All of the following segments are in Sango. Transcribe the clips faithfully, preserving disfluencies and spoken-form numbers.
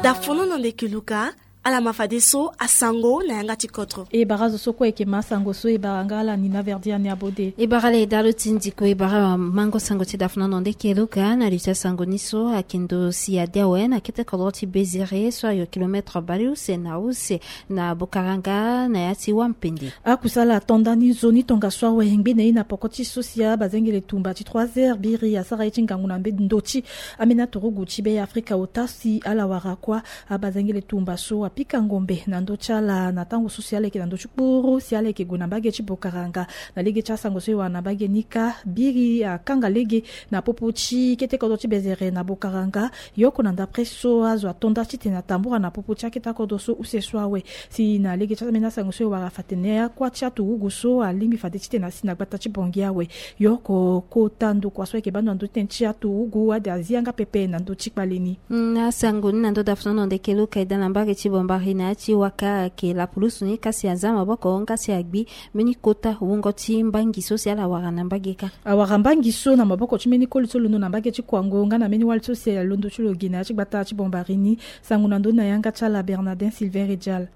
Dafono na ndeke luka. Ala ma fadeso asango na yanga ti kodro. E bara zo so kue eke ma asango so e bara nga ala ni na verdi ani abode. E bara ala e dalo ti ndiko e bara mango sango ti dafono na ndeke luka na li ti asango ni so ayeke ndo si ade awe na kete kodro ti bezere so ayo kilometre baleuse na use na bokaranga na ya ti wampende. Akusala ato nda ni nzoni tongaso awe ngbe na ye na poko ti so si abazengele tumba ti trois heures biri asara ye ti ngangu na mbe ndo ti ambeni aturugu ti be afrika ota si ala wara kuâ. Abazengele tumba so apika ngombe na ndö ti ala na tango so si ala yeke na ndö ti kpuru si ala yeke gue na mbage ti bokaranga. Na lege ti asango so e wara na mbage ni kâ biri akanga lege na popo ti kete kodro ti bezere na bokaranga. Yoko na ndapre so azo ato nda titene atambura na popo ti akete akodro so use so awe. Si na lege ti ambeni asango so e wara fa atene akuâ ti aturugu so alingbi fade titene asi na gbata ti bongi awe. Yoko kota ndokua so ayeke baa ndo na ndö ti tene ti aturugu ade azi yanga pepe na ndö ti kpale ni. Na asango ni na ndö dafono na ndeke luka e daa na mbage ti bombari na ya ti waka ayeke lapulusu ni kasi aza maboko nga si agbi mbeni kota wungo ti mbangi so si ala wara na mbage kâ. Awara mbangi so na maboko ti mbeni koli so londo na mbage ti kuango nga na mbeni wali so si alondo ti lo gi na ya ti gbata ti bombari ni. Sango na ndö ni na yanga ti ala bernardin silver ejal.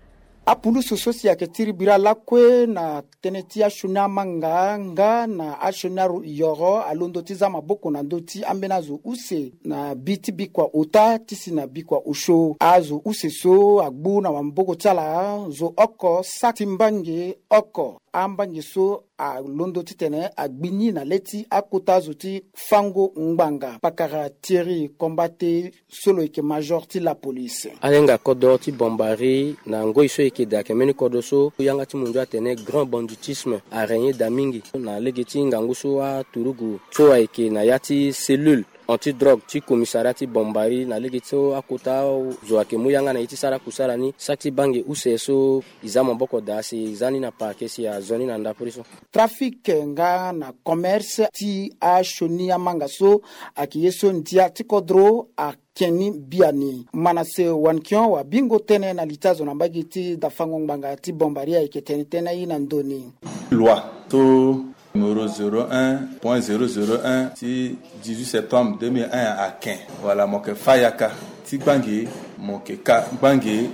Apulusu so si ayeke tiri bira lakue na tënë ti asioni amanga nga na asioni ayoro alondo ti za maboko na ndö ti ambeni azo use na bi ti bikua ota ti si na bikua osio azo use so agbu na maboko ti ala zo oko saki ti mbange oko. Ambange so alondo titene agbi ni na le ti akota zo ti fango ngbanga pakara thierry kombate so lo yeke major ti lapolice. Ayenga kodro ti bombari na ngoi so e yeke daa ayeke mbeni kodro so yanga ti mundu atene grand banditisme arègne daa mingi na lege ti ngangu so aturugu so ayeke na ya ti cellule anti drogue ti commissariat ti bombari na lege so akota zo ayeke mu yanga na ye ti sara kusala ni saki ti bange use so e za maboko daa si e za ni na parquet si azo ni na ndapre so. Trafic nga na commerce ti asioni amanga so ayeke ye so ndia ti kodro ake ni biani manase wankion wabingo tënë na li ti azo na mbage ti dafango ngbanga ti bombari ayeke tene tënë aye na ndoni. Loi to numéro zéro un point zéro zéro un ti dix-huit septembre deux mille un ake wala mo yeke fâ yaka ti gbange mo yeke ka gbange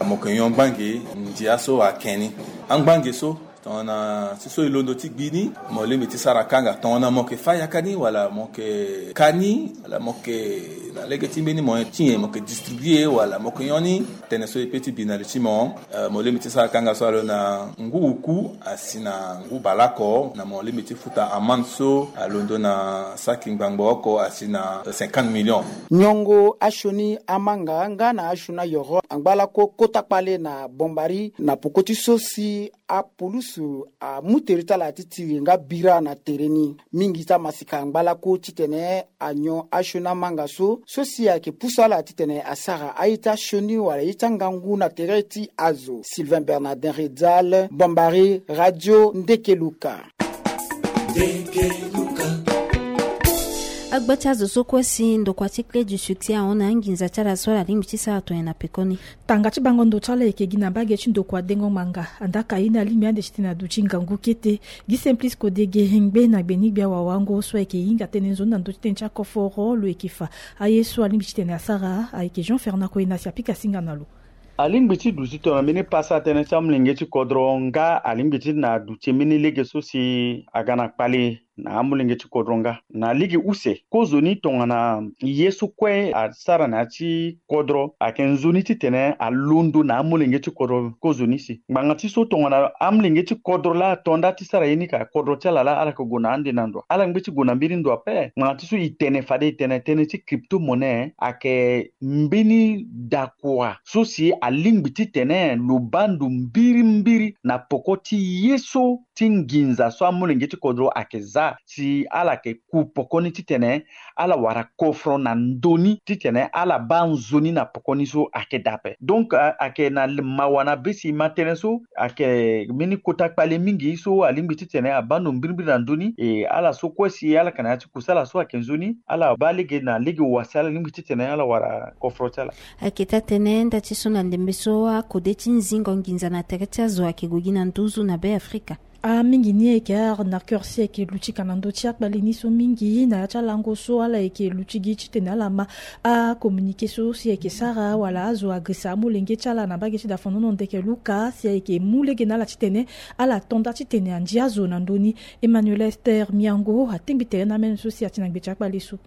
mo yeke nyon gbange ndia so ake ni angbange so tongana ti so e londo ti gbi ni mo lingbi ti sara kanga tongana mo yeke fâ yaka ni wala mo yeke ka ni wala mo yeke na lege ti mbeni moyen ti nyen mo yeke distribue wala mo yeke nyon ni tënë so e pe ti bi na li ti mo. Mo lingbi ti sara kanga so alo na ngu uku asi na ngu baleoko na mo lingbi ti futa amande so alondo na saki ngbangbo oko asi na cinquante millions. Nyongo asioni amanga nga na asioni ayoro angba lako kota kpale na bombari na poko ti so si apulusu amu tere ti ala ti tiri nga bira na tere ni mingi ti amasika angba lako titene anyon asioni amanga so so si ayeke pusu ala titene asara aye ti asioni wala ye ti angangu na tere ti azo. Sylvain bernardin redal bombari radio ndeke luka. Agba ti azo so kue si ndokua ti clé du succès ahon na anginza ti ala so ala lingbi ti sara tonye na pekoni. Tanga ti bango ndo ti ala eke gi na mbage ti ndokua dengo ngbanga andaka ye ni alingbi ande titene aduti ngangu kete. Gi simplice kodege hengbe na gbenigbe awawango so ayeke hinga tënë nzoni na ndö ti tënë ti akoforo lo yeke fa aye so alingbi titene asara ayeke jean fernand koyena si apika singa na lo. Alingbi ti duti tongana mbeni pasa tënë ti amolenge ti kodro nga alingbi ti na duti mbeni lege so si aga na kpale na amolenge ti kodro nga na lege use kozoni tongana ye so kue asara na ya ti kodro ayeke nzoni titene alondo na amolenge ti kodro kozoni si ngbanga ti so tongana amolenge ti kodro laa ato nda ti sara ye ni ka kodro ti ala laa ala yeke gue na ande na ndo ala ngbe ti gue na mbeni ndo ape ngbanga ti so e tene fade e tene tënë ti crypto monnaie ayeke mbeni dakua so si alingbi titene lo baa ndo mbirimbiri na poko ti ye so ti nginza so amolenge ti kodro ayeke za si ala yeke ku poko ni titene ala wara kofro na ndö ni titene ala baa nzoni na poko ni so ayeke daa ape. Donc ayeke na mawa na be si e ma tënë so ayeke mbeni kota kpale mingi so alingbi titene abaa ndo mbirimbiri na ndö ni e ala so kue si ala yeke na ya ti kusala so ayeke nzoni ala baa lege na lege wa si ala lingbi titene ala wara kofro ti ala. Ayeke taa-tënë nda ti so na ndembe so akode ti nzingo nginza na tere ti azo ayeke gue gi na nduzu na be afrika. Amingi ni ayeke arnaqueur si ayeke luti ka na ndö ti akpale ni so mingi na ya ti alango so ala yeke luti gi titene ala ma acommuniqué so si ayeke sara wala azo agrisa amolenge ti ala na mbage ti dafonono ndeke luka si ayeke mu lege na ala titene ala to nda titene andia zo na ndö ni. Emmanuel Esther Miango atingbi tere na amene so si ati na gbe ti akpale so.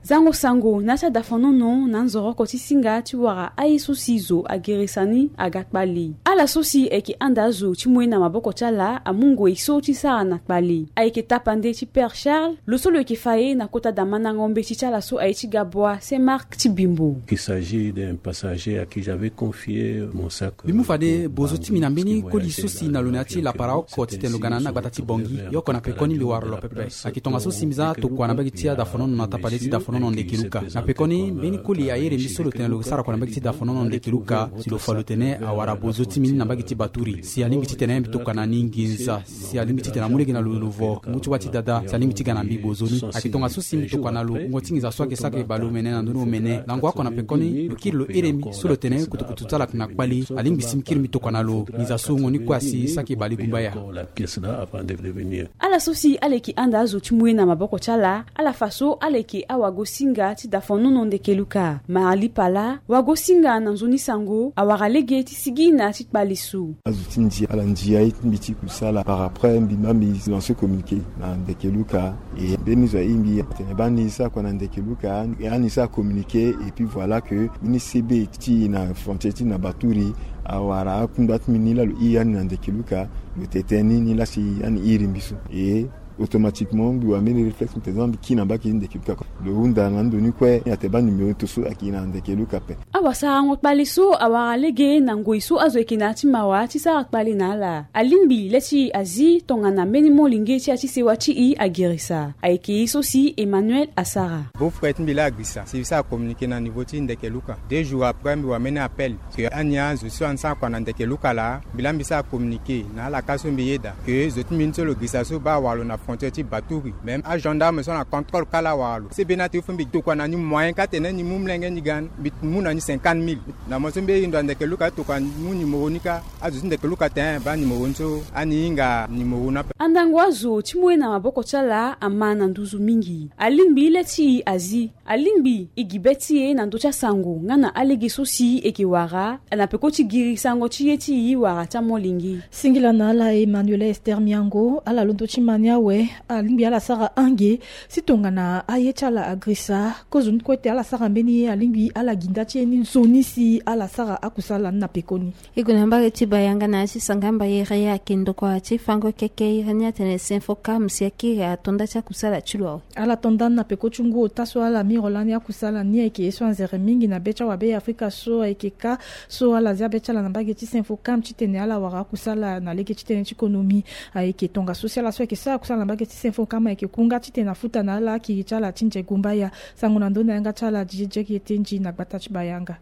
Zango sango na ya ti adafonono na nzoroko ti singa ti wara aye so si zo ageresa ni aga kpale. Ala so si ayeke anda azo ti mu ye na maboko ti ala amu ngoi so ti sara na kpale. Ayeke tapande ti Père Charles lo so lo yeke fa ye na kota damandango mbeti ti ala so aye ti Gabwa Saint Marc ti Bimbo. Il s'agit d'un passager à qui j'avais confié mon sac. Mbi mu fade bozo ti mbi na mbeni koli so si na lo na ya ti lapara oko titene lo ga na ni na gbata ti Bangui. Ye oko na pekoni mbi wara lo pepe. Ayeke tongaso si mbi za tokua na mbage ti adafonono na tapande ti dafonono ndeke luka. Na pekoni mbeni koli ahere mbi so lo tene lo sara kua na mbage ti dafonono ndeke luka si lo fa lo tene awara bozo ti mbi ni na mbage ti Baturi. Si alingbi titene mbi tokua na ni nginza. Si alingbi titene amu lege na lo, lo vo ngu ti wâ ti dada si alingbi ti ga na mbi bozo ni. Ayeke tongaso si mbi tokua na lo ngongo ti nginza so ayeke sara ayeke bale omene na ndö ni omene. Lango oko na pekoni lo kiri lo here mbi so lo tene kutukutu ti ala ayeke na kpale. Alingbi si mbi kiri mbi tokua na lo nginza so ngongo ni kue asi sara ayeke bale gumbaya. Ala so si ala yeke anda azo ti mu ye na maboko ti ala, ala fa so ala yeke awagosinga ti dafonono ndeke luka. Marali Pala, wagosinga na nzoni sango awara lege ti sigi na ya ti kpale so. Azo ti ndia ala ndia ye ti mbi ti kusala par après mbi ma mbi lance communiqué na ndeke luka. E mbeni zo aye mbi atene baa ni sara kua na ndeke luka, ani sara communiqué et puis voilà que mbeni C B ti na frontière ti na Baturi awara akunda ti mbi ni laa lo iri ani na ndeke luka. Lo tene tënë ni ni laa si ani iri mbi so. E automatiquement mbi wara mbeni réflexe mbi tene mbi kiri na mbage ti ndeke luka kue. Lo hunda na ando ni kue atene baa numéro ti so ayeke na ndeke luka ape. Awasarango kpale so awara lege na ngoi so azo ayeke na ya ti mawa ti sara kpale na ala. Alingbi le ti azi tongana mbeni molenge ti ya ti sewa ti e ageresa. Ayeke ye so si Emmanuel asara. Beau-frère ti mbi laa agrisa si mbi sara communiqué na niveau ti ndeke luka. Deux jours après mbi wara mbeni appel. Ke ani azo so ani sara kua na ndeke luka laa mbi laa mbi sara communiqué na ala ka so mbi yeda ke zo ti mbi ni so lo girisa so baa awara lo na frontière ti Baturi. Même agendarme so na contrôle kâ laa awara lo. Si be ni ati fo mbi tokua na ni moyen kâ tene ni mu molenge ni ga ni mbi mu na ni cinquante mille. Na mo so mbi ye ndo na ndeke luka tokua mu numéro ni kâ. Azo ti ndeke luka tene baa numéro ni so ani hinga numéro ni ape. Andango azo ti mu ye na maboko ti ala ama na nduzu mingi. Alingbi le ti e azi. Alingbi e gi be ti e na ndö ti asango nga na alege so si e yeke wara na peko ti giri sango ti ye ti e wara ti amolenge. Singila na ala Emmanuel Esther Miango ala londo ti ma ni awe. Alingbi ala sara ange si tongana aye ti ala agrisa kozoni kue te ala sara mbeni ye alingbi ala gi nda ti ye ni nzoni si ala sara akusala ni na pekoni. E gue na mbage ti Bayanga na ya ti Sanga Mbayere ayeke ndokua ti fango keke iri ni atene Sinfocam si akiri ato nda ti akusala ti lo awe. Ala to nda ni na peko ti ngu ota so ala miro lani akusala ni ayeke ye so anzere mingi na be ti awabe ya Afrika so ayeke kâ so ala zia be ti ala na mbage ti Sinfocam titene ala wara akusala na lege ti tënë ti konomi. Ayeke tongaso si ala so ayeke sara akusala na mbage ti Sinfocam ayeke kunga titene afuta na ala akiri ti ala ti nze gumbaya. Sango na ndö ni na yanga ti ala Didier Diek Yetenji na gbata ti Bayanga.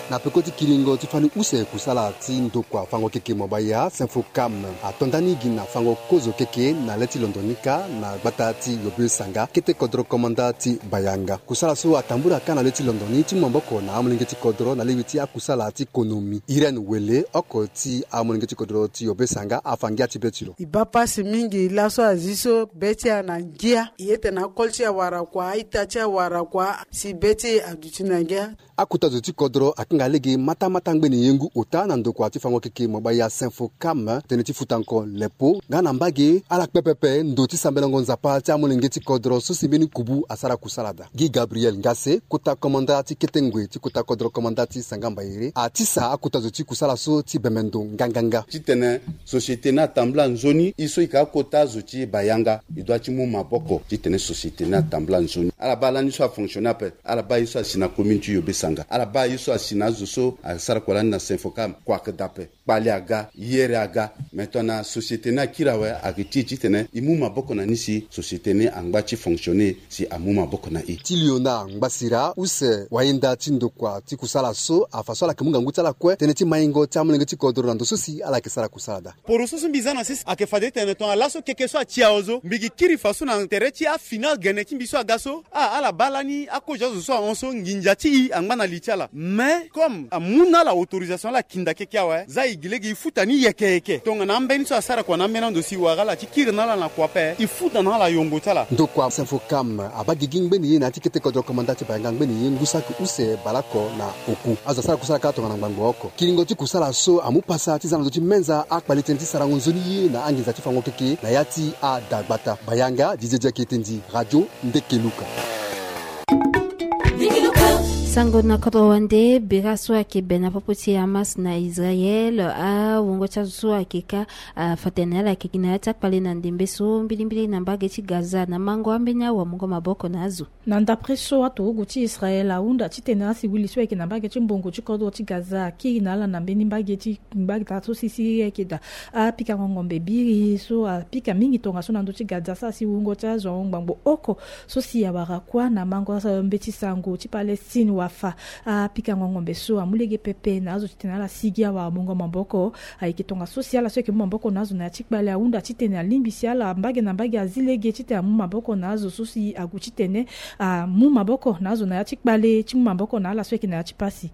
Na peko ti kiringo ti fani use kusala ti ndokua fango keke mo baya Sinfocam ato nda ni gi na fango kozo keke na le ti londo ni kâ na gbata ti Yobe Sanga kete kodro komanda ti Bayanga. Kusala so atambula kâ na le ti londo ni ti mu maboko na amolenge ti kodro na lewe ti akusala ti konomi. Irène Wele oko ti amolenge ti kodro ti Yobe Sanga afa ngia ti be ti lo. E baa pasi mingi laso azi so be ti ala na ngia. E ye tene akol ti awara kua a-ita ti awara kua si be ti e aduti na ngia. Akota zo ti kodro akanga lege matamata ngbene ye ngu ota na ndokua ti fango keke mo baya Sinfocam tënë ti futango lepo nga na mbage ala kpe pepe ndo ti sambelango nzapa ti amolenge ti kodro so si mbeni kubu asara kusala daa. Guy Gabriel Ngase kota komanda ti kete ngoi ti kota kodro komanda ti Sanga Mbayere atisa akota zo ti kusala so ti bembe ndo nganganga. Titene société ni atambula nzoni e so e yeke akota zo ti Bayanga e dua ti mu maboko titene société ni atambula nzoni. Ala baa lani so afonctionne ape. Ala baa ye so asi na commune ti Yobe Sanga. Ala baa ye so asi na azo so asara kua lani na Sinfocam kua ayeke daa ape. Kpale aga, yere aga. Maintenant société ni akiri awe ayeke ti e titene e mu maboko na ni si société ni angba ti fonctionner si amu maboko na e. Ti Léonard Ngbasira use wayenda ti ndokua ti kusala so afa so ala yeke mu ngangu ti ala kue tënë ti maingo ti amolenge ti kodro na ndo so si ala yeke sara kusala daa. Poroso so mbi za na sese ayeke fade tene tongana laso keke so ati awe so mbi gi kiri fa so na tere ti afini agene ti mbi so aga so. Ah, ala baa lani akozo azo so ahon so nginza ti e angba na li ti ala. Mais comme amu na ala autorisation ala kinda keke awe za e Gi lege e futa ni yeke yeke tongana ambeni so asara kua na ambeni ando si e wara ala ti kiri na ala na kua ape, e futa na ala yongo ti ala. Ndokua Sinfocam abaa gigi ngbeni ye na ya ti kete kodro komanda ti Bayanga ngbeni ye ngu saki use baleoko na oku. Azo asara kusala kâ tongana ngbangbo oko. Kiringo ti kusala so amu pasa ti za na ndö ti menza akpale tënë ti sarango nzoni ye na anginza ti fango keke na ya ti adagbata. Bayanga, Didier Diakete ndi, Radio Ndeke Luka. Sango na kodro wande, bira so ayeke be na popo ti Hamas na Israël, awungo ti azo so ayeke kâ, afa tene ala yeke gi na ya ti akpale na ndembe so mbilimbili na mbage ti Gaza na mango ambeni awamungo maboko na azo. Na ndapre so aturugu ti Israël ahunda titene asiwili so ayeke na mbage ti mbongo ti kodro ti Gaza akiri na ala na mbeni mbage ti ngbagda so si si ayeke daa. Apikango ngombe biri so apika mingi tongaso na ndö ti Gaza so asi wungo ti azo ahon ngbangbo oko so si awara kuâ na mango mbeti sango ti Palestine wafa. Apikango ngombe so amu lege pepe na azo titene ala sigi awamungo maboko. Ayeke tongaso si ala so ayeke mu maboko na azo na ya ti kpale ahunda titene alingbi si ala mbage na mbage azi lege titene amu maboko na azo so si ague titene amu maboko na azo na ya ti kpale ti mu maboko na ala so ayeke na ya ti pasi.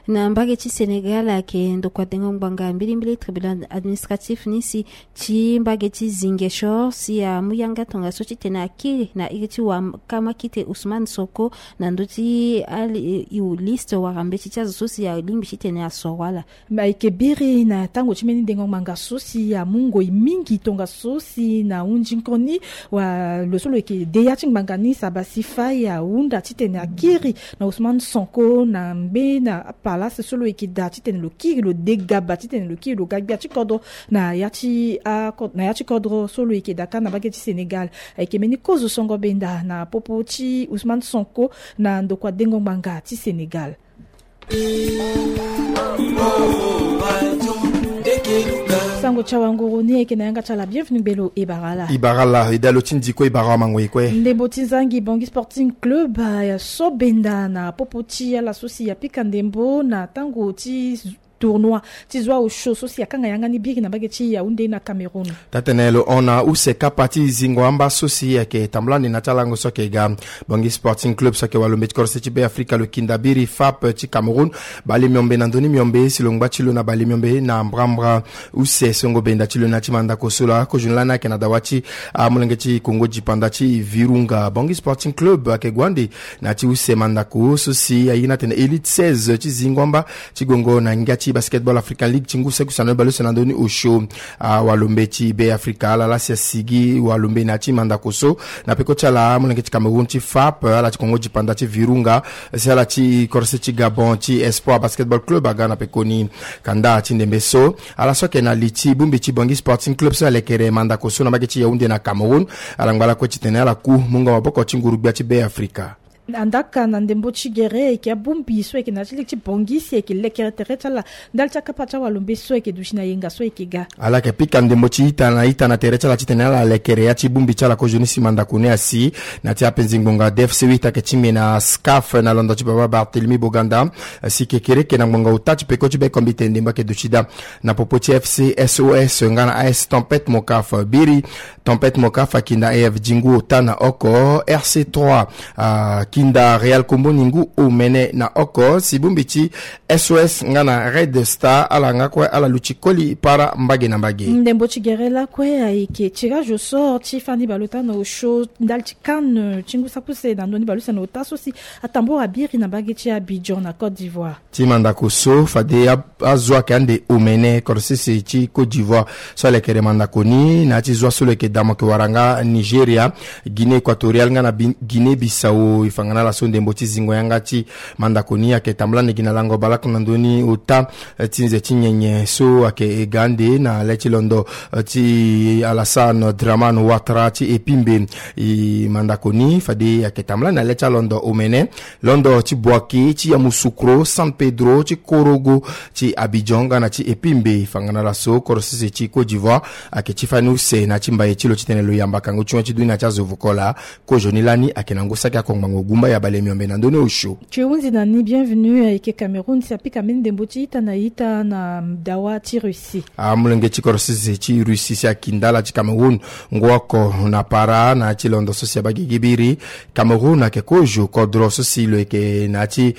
Na mbage ti Sénégal ayeke ndokua dengo ngbanga mbilimbili tribunal administratif ni si ti mbage ti Ziguinchor si amu yanga tongaso titene akiri na iri ti wakama kite Ousmane Sonko na ndö ti ali liste wala mbeti ti azo so si alingbi titene asoro ala. Ayeke biri na tango ti mbeni dengo ngbanga so si amu ngoi mingi tongaso si na hunzi nkoni wala lo so lo yeke de ya ti ngbanga ni Sabasy Faye ahunda titene akiri na Ousmane Sonko na mbeni apalasi so lo yeke daa titene lo kiri lo de gaba titene lo kiri lo ga gbia ti kodro na ya ti akodro so lo yeke daa kâ na mbage ti Sénégal. Ayeke mbeni kozo songo benda na popo ti Ousmane Sonko na ndokua dengo ngbanga ti Sénégal. Sango ti awanguru ni ayeke na yanga ti ala bienvenu gbelo e bara ala. E bara ala e daa lo ti ndi kue e bara amango e kue. Ndembo ti zangi Bangui Sporting Club aso benda na popo ti ala so si apika ndembo na tango ti tournoi ti zo aosio so si akanga yanga ni biri na mbage ti Yaoundé na Cameroun. Taa-tene lo hon na use kapa ti zingo amba so si ayeke tambula ni na ti alango so ayeke ga Bangui Sporting Club so ayeke walo mbeti korose ti Be Afrika lo kinda biri FAP ti Cameroun bale miombe na ndoni miombe si lo ngba ti lo na bale miombe na mbrambra. Use songo benda ti lo na ti mandako so laa kozoni lani ayeke na dawa ti amolenge ti kongo dipanda ti Virunga. Bangui Sporting Club ayeke gue ande na ti use mandako so si aye ni atene Elite seize ti zingo amba ti gongo na ngia ti Basketball African League ti ngu saki use na lo bale use na ndö ni osio. Awalombe ti Be Afrika ala laa si asigi walombe na ya ti mandako so na peko ti ala amolenge ti Cameroun ti FAP, ala ti kongo dipanda ti Virunga, si ala ti korose ti Gabon ti Espoir Basketball Club aga na pekoni. Kanda ti ndembe so ala so ayeke na li ti bongbi ti Bangui Sporting Club so alekere mandako so na mbage ti Yaoundé na Cameroun, ala ngba lakue titene ala ku mungo maboko ti nguru-gbia ti Be Afrika. Andaka na ndembo ti gere ayeke abongbi so ayeke na ya ti lege ti Bangui si ayeke lekere tere ti ala ndali ti akapa ti awalombe so ayeke duti na yenga so ayeke ga. Ala yeke pika ndembo ti ita na ita na tere ti ala titene ala lekere ya ti bongbi ti ala kozoni si mandako ni asi. Na ti apenzi ngbonga D F C huit ayeke tingbi na SCAF na londo ti baba Barthélemy Boganda si kekereke na ngbonga ota ti peko ti be kombite ndembo ayeke duti daa. Na popo ti F C S O S nga na A S Tempête Mokaf biri. Tempête Mokaf akinda A F G ngu ota na oko, R C trois akinda Real Komboni ngu omene na oko. Si bongbi ti S O S nga na Red Star ala nga kue ala luti koli para mbage na mbage. Ndembo ti gere lakue ayeke tirage au sort ti fani baleota na osio ndali ti CAN ti ngu saki use na ndoni baleuse na ota so si atambora biri na mbage ti Abidjan na Côte d'Ivoire. Ti mandako so fade a- azo ayeke ande omene korosese ti Côte d'Ivoire so alekere mandako ni na ya ti zo aso lo yeke damo ayeke wara nga Nigeria, Guinée Équatoriale nga na Bi- Guinée Bissau. E fa nga na ala so ndembo ti zingo yanga ti mandako ni ayeke tambula na gi na lango baleoko na ndö ni ota, eh, ti nze ti nyenye so ayeke e ga ande na le ti londo, eh, ti Alassane Dramane Ouattara ti Epimbe. E mandako ni fade ayeke tambula na le ti alondo omene, londo ti Bouaké, ti Yamoussoukro, San Pedro, ti Korogo, ti Abidjan nga na ti Epimbe. E fa nga na ala so korosese ti Côte d'Ivoire ayeke ti fani use na ya ti mbaye ti lo titene lo yamba kango ti wen ti dunia ti azo vukola. Kozoni lani ayeke na ngu saki oko ngbangbo Bumba ya bale miombe na ndoni osio. Ti hunzi na ni bienvenu ayeke Cameroun si apika mbeni ndembo ti ita na ita na dawa ti Russie. Amolenge ti kodro sese ti Russie si akindala ti Cameroun ngu oko na para na ya ti londo so si abagigi biri. Cameroun ayeke kozo kodro so si lo yeke na ya ti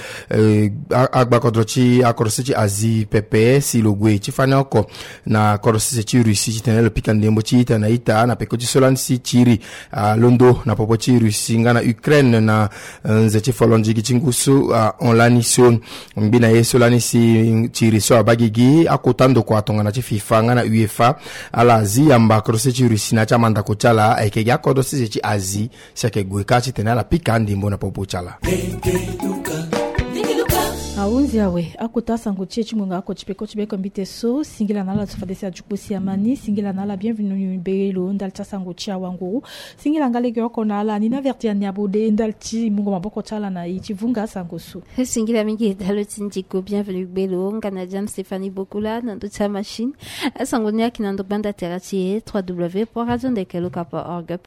agba kodro ti akodro sese ti Asie pepe si lo gue ti fani oko na kodro sese ti Russie titene lo pika ndembo ti ita na ita na peko ti so lani si tiri alondo na popo ti Russie nga na Ukraine na nze ti folo ndigi ti ngu so ahon lani so. Ngbi na ye so lani si tiri so abagigi akota ndokua tongana ti FIFA nga na UEFA ala zi yamba kodro sese ti Russie na ya ti amandako ti ala ayeke gi akodro sese ti Asie si ayeke gue kâ titene ala pika andimbo na popo ti ala. Ahunzi awe akota asango ti e ti ngonga oko ti peko ti beko mbite so. Singila na ala so fade si ajuku si amani. Singila na ala bienvenu be lo ndali ti asango ti awanguru. Singila nga lege oko na ala ni na averti ani abode ndali ti mungo maboko ti ala na e ti vunga asango so. Singila mingi dalo ti ndiko bienvenu gbelo nga na Jane Stéphanie Bokula na ndo ti amachine. Asango ni ayeke na ndo gbanda tere ti e trois w point radio ndeke loka point org.